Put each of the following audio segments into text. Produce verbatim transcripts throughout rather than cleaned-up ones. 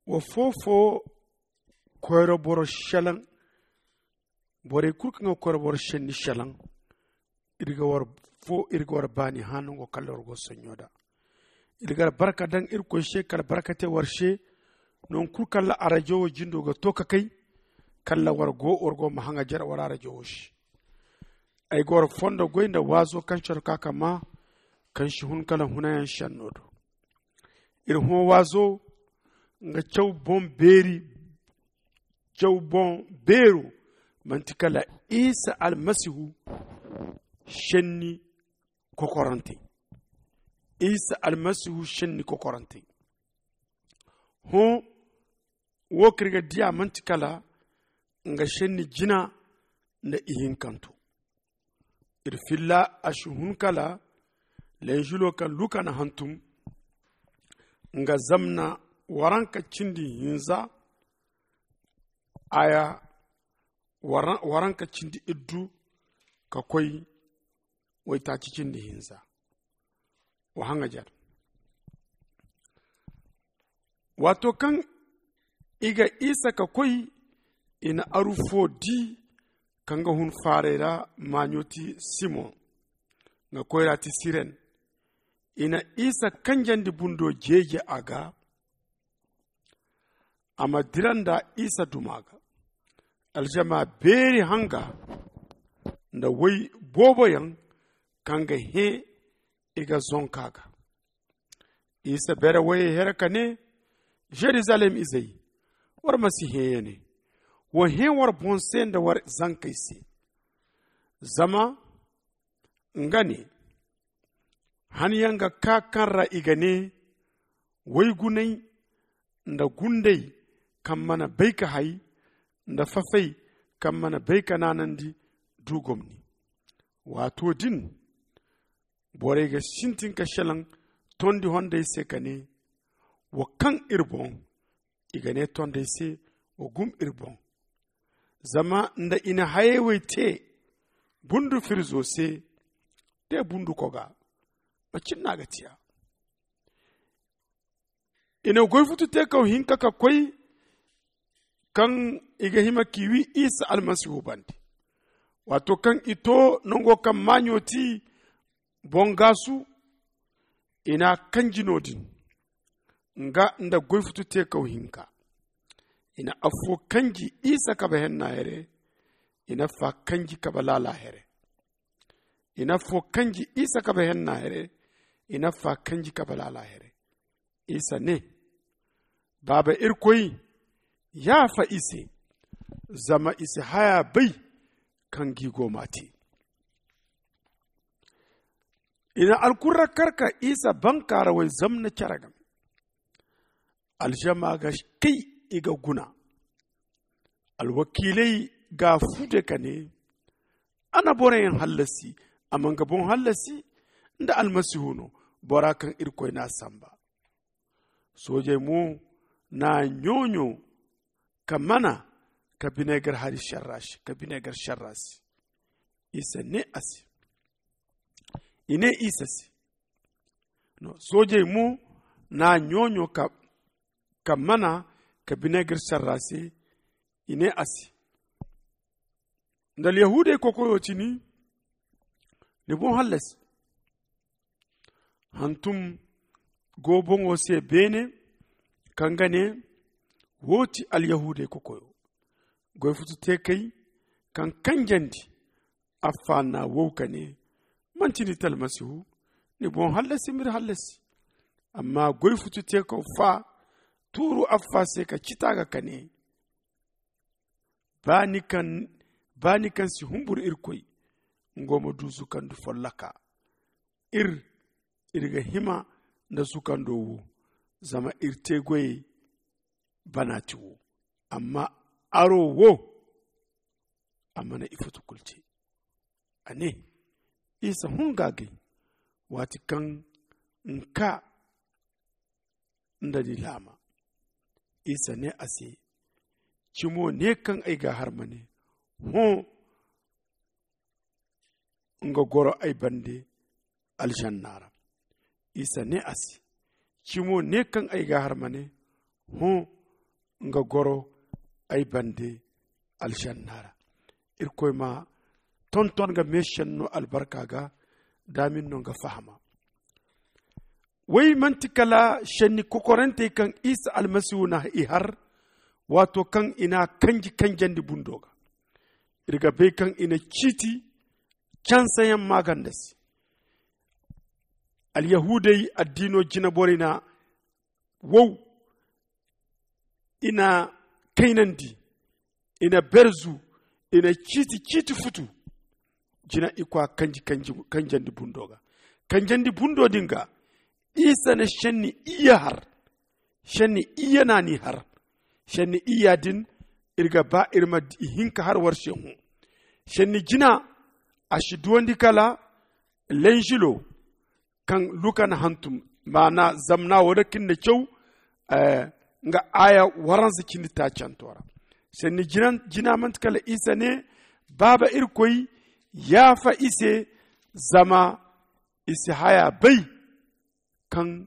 Wa foofo koyra boro shalaŋ. Borey kulu kaŋ ga koyra boro shenni shalaŋ. Iri ga war fo iri ga war baani hã nango kala war go sonɲo da. Iri ga albarka daŋ iri koy se kala barka te war se. Nangu kulu kala arajo wo jindo ga to ka kay kala war go war go ma haŋa jare war arajo wo se. Ay ga war fondo goy nda waazo kaŋ coro ka ka ma kaŋ si hun kala hunayaŋ shenno do. Iri hõ waazo nga caw boŋ beeri. Caw boŋ beero manti kala isa almasihu shenni kokorantey. Isa almasihu shenni kokorantey. Hõ wo kaŋ iri ga diya manti kala nga shenni jina nda ihinkanto. Iri filla a si hun kala lenzulo kaŋ luka na hantum nga zamna waranka cindi hinza aya waranka cindi iddu ka koy waytaaci cindi hinza. Wa haŋajar waato kaŋ i ga isa ka koy i na aru fo di kaŋ ga hun faaray ra maaɲo ti simon nga koyra ti siren. I na isa kanjandi bundo jeeje a ga a ma dira nda isa duma ga. Aljama beeri hanga nda way booboyaŋ kaŋ ga hẽ i ga zonka ga. Isa beere wayey here ka ne, jerusalem izey, war ma si hẽeya ne. Wa hẽ war boŋ se nda war zankey se. Zama nga ne, han yaŋ ga kaa kaŋ ra i ga ne, waygunay nda gundey kaŋ mana bay ka hay nda fafey kaŋ mana bay ka naanandi du gomni. Waato din borey ga sintin ka selaŋ tondi hondey se ka ne, wa kaŋ iri boŋ. I ga ne tondey se, wa gum iri boŋ. Zama nda i na hayey wey te bundu firzo se, te bundu koga macin no a ga tiya. I na goy futu te kaw hinka ka koy kaŋ i ga hima k'i wi isa almasihu bande. Waato kaŋ i to nango kaŋ maaɲo ti boŋgaasu, i n'a kanji no-din nga nda goy futu te kaw hinka. I na affo kanji isa kabe henna here. I na fa kanji kabe laala here. I na affo kanji isa kabe henna here. I na fa kanji kabe laala here. Isa ne, baaba irkoy, yaafa i se. Zama i si haya bay kaŋ gi go ma te. I na alkurra kar ka isa bankaarawey zamna care game. Aljama ga kay i ga guna. Alwakiiley ga fude ka ne, a na boroyaŋ hallasi. A ma nga boŋ hallasi nda almasihu no, bora kaŋ irkoy n'a samba. Soojey mo n'a ɲooɲo ka mana ka bineegar hari serra se ka bineegar serra se. Isa ne a se i ne isa se. Soojey mo n'a ɲooɲo ka mana ka bineegar serra se. I ne a se, nda alyahuudey kokoyo ti ni, ni boŋ hallasi. Hantum go boŋo se beene kaŋ ga ne, wo ti alyahuudey kokoyo. Goy futu te kay kaŋ kanjandi affa n'a wow ka ne, manti ni ti almasihu? Ni boŋ hallasi m'iri hallasi. Amma goy futu te kaw fa tuuru affa se ka cita ga ka ne, ba ni kaŋ ba ni kaŋ si humburu irkoy, nga wo ma du zukandi folloka. Iri iri ga hima nda zukando wo, zama iri te goyey banaati wo. Amma aro wo a mana ifoto kulu te. A ne, isa hun ga gay waati kaŋ nka nda ni laama. Isa ne a se, cimo ne kaŋ ay ga a har ma ne, hõ, nga goro ay bande alžanna ra. Isa ne a se, cimo ne kaŋ ay ga a har ma ne, hõ, nga goro ay bande aljanna ra. Irkoy ma tonton nga meesenno albarka ga, daamin no nga fahama. Way manti kala senni kokorantey kaŋ isa almasihu na i har, waato kaŋ i na kanji kanjandi bundo ga. Iri ga bay kaŋ i na ciiti cansayaŋ maaganda se. Alyahuudey addiino jina borey na wow, i na kaynandi, i na berzu, i na ciiti ciiti futu. Jina i kwa kanji kanji kanjandi bundo ga. Kanjandi bundo din ga, isa na senni iyya har. Senni iyya na ni har. Senni iyya din, iri ga ba iri ma i hinka har war se hõ. Senni jina, a si duwandi kala lenjilo kaŋ luka na hantum, maana zamna wo da kin na caw. Nga aya waransa cindi taacanto ra. Senni jina manti kala isa ne, baaba irkoy, yaafa i se, zama i si haya bay kaŋ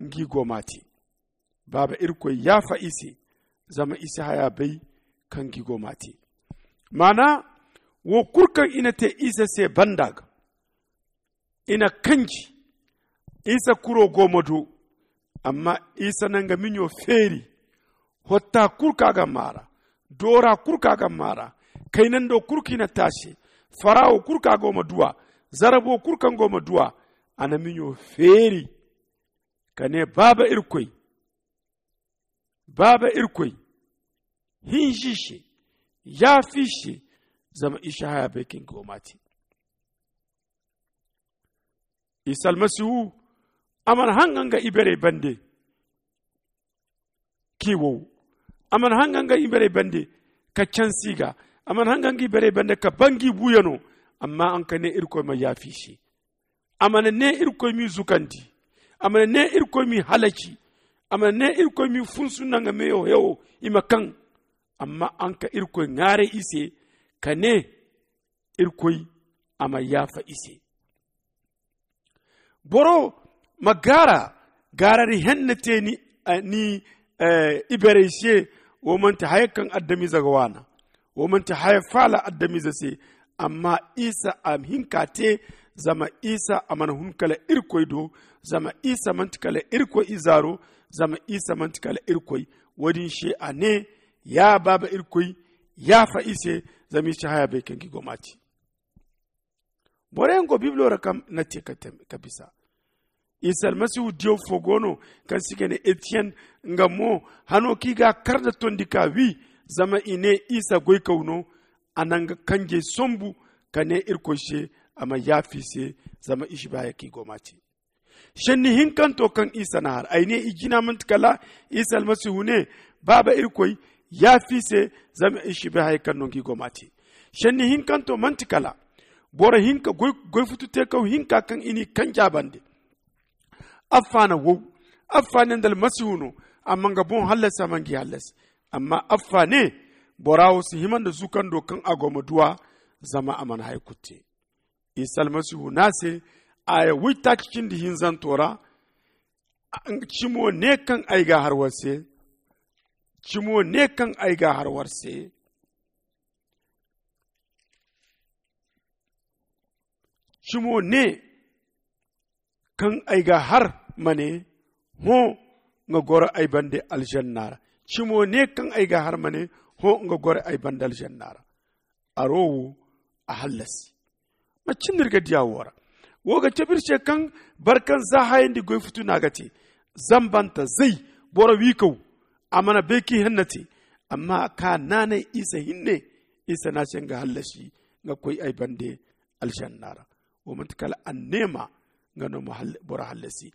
ngi go ma te. Baaba irkoy, yaafa i se, zama i si haya bay kaŋ ngi go ma te. Maana wo kulu kaŋ i na te isa se banda ga, i na kanji. Isa kuro go ma du, amma isa na nga miɲo feeri. Hotta kulu ka ga maara, doora kulu ka ga maara, kaynando kulu ka i na taase, farawo kulu ka go ma duwa, zarabo kulu kaŋ go ma duwa, a na miɲo feeri ka ne, baaba irkoy, baaba irkoy, hinzi se, yaafi se, zama i si haya bay kaŋ go ma te. Isa almasihu, a mana haŋ ga nga iberey bande k'i wow. A mana haŋ ga nga iberey bande ka cansi ga. A mana haŋ ga nga iberey bande ka bangi buuyano. Amma a nga ne irkoy ma yaafi se. A mana ne irkoy m'i zukandi. A mana ne irkoy m'i halaci. A mana ne irkoy m'i funsu nda nga meyo hewo i ma kaŋ. Amma a nga irkoy ŋwaaray i se ka ne irkoy a ma yaafa i se. Boro ma gaara gaarari henna te ni iberey se. Wo manti haya kaŋ adamize ga waana. Wo manti haya faala adamize se. Amma isa a hinka te. Zama isa a mana hun kala irkoy do. Zama isa manti kala irkoy izaaro. Zama isa manti kala irkoy. Wo-din se a ne, ya baaba irkoy, yaafa i se. Zama i si haya bay kaŋ gi go ma te. Boro yaŋ go bibilo ra kaŋ na te ka bisa. Isa almasihu diyaw fo go no kaŋ se i ga ne etiyen. Nga mo hano kaŋ i ga kar nda tondi ka wi. Zama i ne isa goykaw no. A na nga kanjey sombu ka ne irkoy se a ma yaafa i se. Zama i si bay haya kaŋ i go ma te. Senni hinkanto kaŋ isa na har ay ne i jina manti kala isa almasihu ne, baaba irkoy, yaafa i se. Zama i si bay haya kaŋ no nga i go ma te. Senni hinkanto manti kala boro hinka goy futu te kaw hinka kaŋ i n'i kanja bande. Affa na wow. Affa ne nda almasihu no. Amma nga boŋ hallasi a mana ngi hallasi. Amma affa ne, bora wo si hima nda zukando kaŋ a go ma duwa. Zama a mana haya kulu te. Isa almasihu ne a se, aya waytaaci cindi hinzanto ra, cimo ne kaŋ ay ga har war se. Cimo ne kaŋ ay ga har war se. Cimo ne kaŋ ay ga har ma ne, hõ, nga goro ay bande aljanna ra. Cimo ne kaŋ ay ga har ma ne, hõ, nga goro ay bande aljanna ra. Aro wo a hallasi. Macin no iri ga diya wo ra? Wo ga cabe iri se kaŋ boro kaŋ za hayandi goy futu no a ga te. Zambanta zay, boro wiikaw, a mana bay kaŋ i hanna te. Amma a ka naanay isa hinne. Isa ne a se nga hallasi, nga koy ay bande aljanna ra. Wo manti kala anneema nga no ma boro hallasi.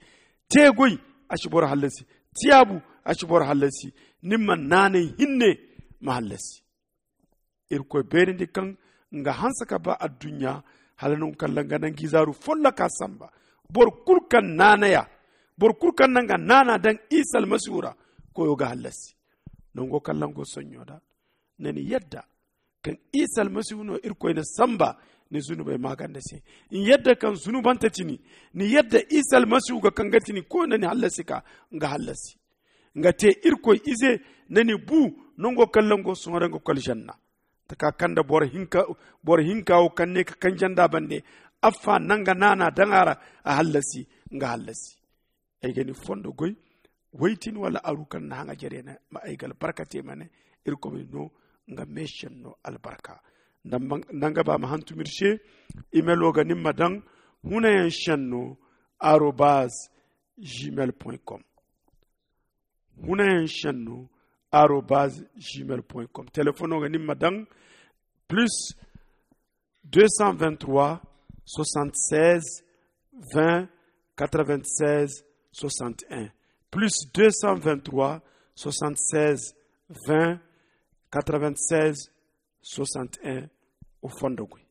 Te goy, a si boro hallasi. Tiyaabu, a si boro hallasi. Ni ma naanay hinne ma hallasi. Irkoy beerandi kaŋ nga hanse ka ba adduɲɲa, hala nangu kaŋ ra nga na nga izaaru folloka samba. Boro kulu kaŋ naanaya, boro kulu kaŋ na nga naana daŋ isa almasihu ra, koyo ga hallasi. Nango kaŋ ra nga go soɲɲo da, na ni yadda kaŋ isa almasihu no irkoy na samba ni zunubey maaganda se. Ni yadda kaŋ zunubante ti ni. Ni yadda isa almasihu ga kaŋ ga ti ni koyo na ni hallasi ka nga hallasi. Nga te irkoy ize, na ni bu nango kaŋ lango sohõ ra nga kala janna. Taka kaŋ da boro hinka wo kaŋ ne ka kanjanda bande, affa nanga naana daŋ a ra, a hallasi. Nga hallasi. Ay ga ni fondo goy, waytin wala aru kaŋ na haŋa jare ne ma ay ga albarka te ma ne, irkoy ma ni no nga meeseŋ no albarka. Nda nga ba ma hantum iri se. Imelo ga ni ma daŋ hunayaŋ senno arobaz gmail point com. Hunayaŋ senno arobaz gmail point com. Telefono ga ni ma daŋ plus deux cent vingt trois soixante seize vingt quatre vingt seize soixante un, plus deux cent vingt trois soixante seize vingt quatre vingt seize soixante un. O fondo goy.